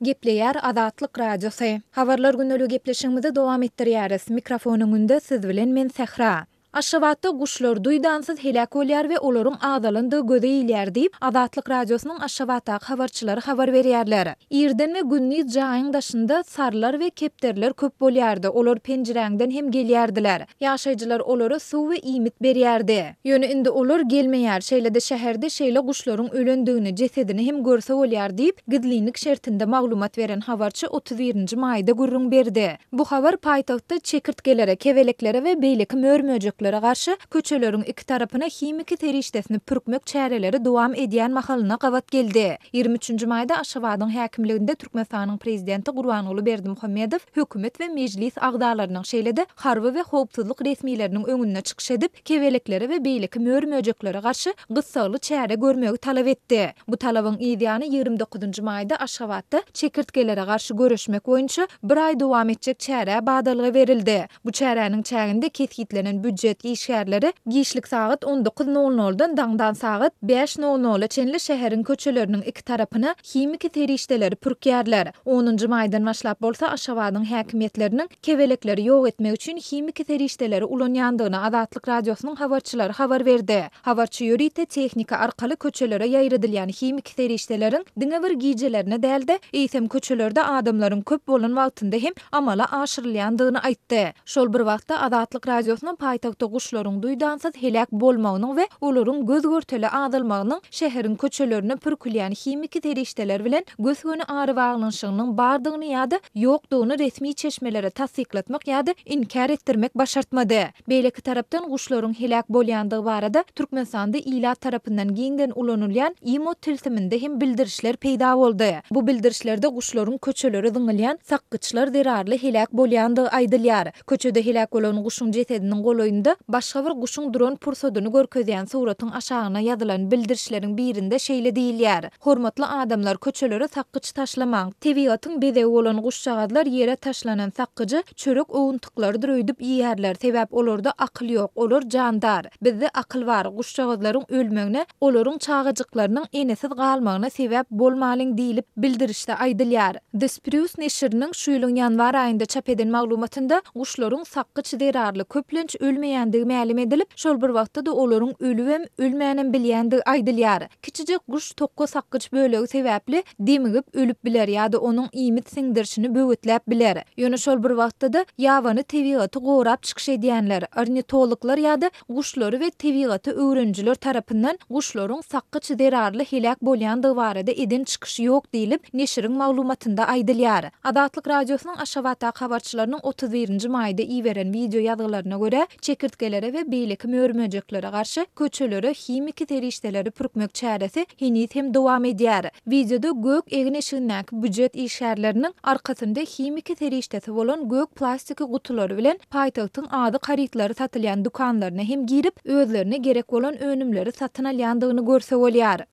Gepleýär Azatlyk Radiosy. Habarlar gündeligi gepleşigimizi dowam etdirýäris. Mikrofon öňünde siz bilen men Sähra. Aşgabatda guşlar duýdansyz heläk bolýar we olaryň azalandygy göze ilýär diýip, Azatlyk Radiosynyň Aşgabatdaky habarçylary habar berýärler. Irden we gündiz jaýyň daşynda sarylar we kepderiler köp bolýardy, olar penjiräňden hem gelýärdiler. Ýaşaýjylar olara suw we iýmit berýärdi. Ýöne indi olar gelmeýär, şeýle-de şäherde şeýle guşlaryň ölendigini, jesedini hem görse bolýar diýip, gizlinlik şertinde maglumat beren habarçy 31 nji maýda gürrüň berdi. Bu habar paýtagtda çekirtgelere, kebeleklere we beýleki mör-möjeklere garşy köçeleriň iki tarapyna himiki serişdesini pürkmek çäreleri dowam edýän mahalyna gabat geldi. 23 nji maýda Aşgabadyň häkimliginde Türkmenistanyň Prezidenti Gurbanguly Berdimuhamedow hökümet we Mejlis agzalarynyň, şeýle-de harby we howpsuzlyk resmileriniň öňünde çykyş edip, kebeleklere we beýleki mör-möjeklere garşy gyssagly çäre görmegi talap etdi. Bu talabyň yz ýany 29 njy maýda Aşgabatda çekirtgelere garşy göreşmek boýunça bir aý dowam etjek çärä badalga berildi. Bu çäräniň çäginde kesgitlenen býujet işgärleri giçlik sagat on dokuz nol noldan daňdan sagat bäş nol nola çenli şäheriň köçeleriniň iki tarapyna himiki serişdeleri pürkýärler. Onunjy maýdan başlap bolsa Aşgabadyň häkimiýetleriniň kebelekleri ýok etmek üçin himiki serişdeleri ulanýandygyny Azatlyk Radiosynyň habarçylary habar berdi. Habarçy ýörite tehnika arkaly köçelere ýaýradylýan himiki serişdeleriň diňe bir gijelerine däl-de, eýsem köçelerde adamlaryň köp bolan wagtynda hem amala aşyrylýandygyny aýtdy. Şol bir wagtda, Azatlyk Radiosyna paýtagtda guşlaryň duýdansyz heläk bolmagynyň we olaryň göz-görtele azalmagynyň şäheriň köçelerine pürkülýän himiki serişdeler bilen gös-göni arabaglanyşygynyň bardygyny ýa-da ýokdugyny resmi çeşmelere tassyklatmak ýa-da inkär etdirmek başartmady. Beýleki tarapdan, guşlaryň heläk bolýandygy barada Türkmenistanda ilat tarapyndan giňden ulanylýan imo tilsiminde hem bildirişler peýda boldy. Bu bildirişlerde guşlaryň köçelere zyňylýan sakgyçlar zerarly heläk bolýandygy aýdylýar. Köçede heläk bolan guşuň jesediniň golaýynda başga bir guşuň duran pursadyny görkezýän suratyň aşagyna ýazylan bildirişleriň birinde şeýle diýilýär, Hormatly adamlar, köçelere sakgyç taşlamaň. Tebigatyň bezegi bolan guşjagazlar ýere taşlanan sakgyjy çörek owuntyklarydyr öýdüp iýýärler, sebäp olarda akyl ýok, olar jandar. Bizde akyl bar, guşjagazlaryň ölmegine, olaryň çagajyklarynyň enesiz galmagyna sebäp bolmalyň diýlip, bildirişde aýdylýar. The Spruce neşiriniň şu ýylyň ýanwar aýynda çap eden maglumatynda guşlaryň sakgyç zerarly köplenç ölmeýändigi mälim edilip, şol bir wagtda-da olaryň ölübem, ölmänem bilýändigi aýdylýar. Kiçijek guş tokga sakgyç bölegi sebäpli demigip ölüp biler ýa-da onuň iýmit siňdirişini böwetläp biler. Ýöne şol bir wagtda-da ýabany tebigaty gorap çykyş edýänler, ornitologlar ýa-da guşlary we tebigaty öwrenijiler tarapyndan guşlaryň sakgyç zerarly heläk bolýandygy barada eden çykyşy ýok diýlip, neşiriň maglumatynda aýdylýar. Azatlyk Radiosynyň Aşgabatdaky habarçylarynyň 31 nji maýda iberen wideo ýazgylaryna görä, çekirtgelere we beýleki mör-möjeklere garşy köçelere himiki serişdeleri pürkmek çäresi heniz hem dowam edýär. Wideoda gök egin-eşigindäki býujet işgärleriniň arkasynda himiki serişdesi bolan gök plastiki gutulary bilen paýtagtyň azyk harytlary satylýan dükanlaryna hem girip, özlerine gerek bolan önümleri satyn alýandygyny görse bolýar.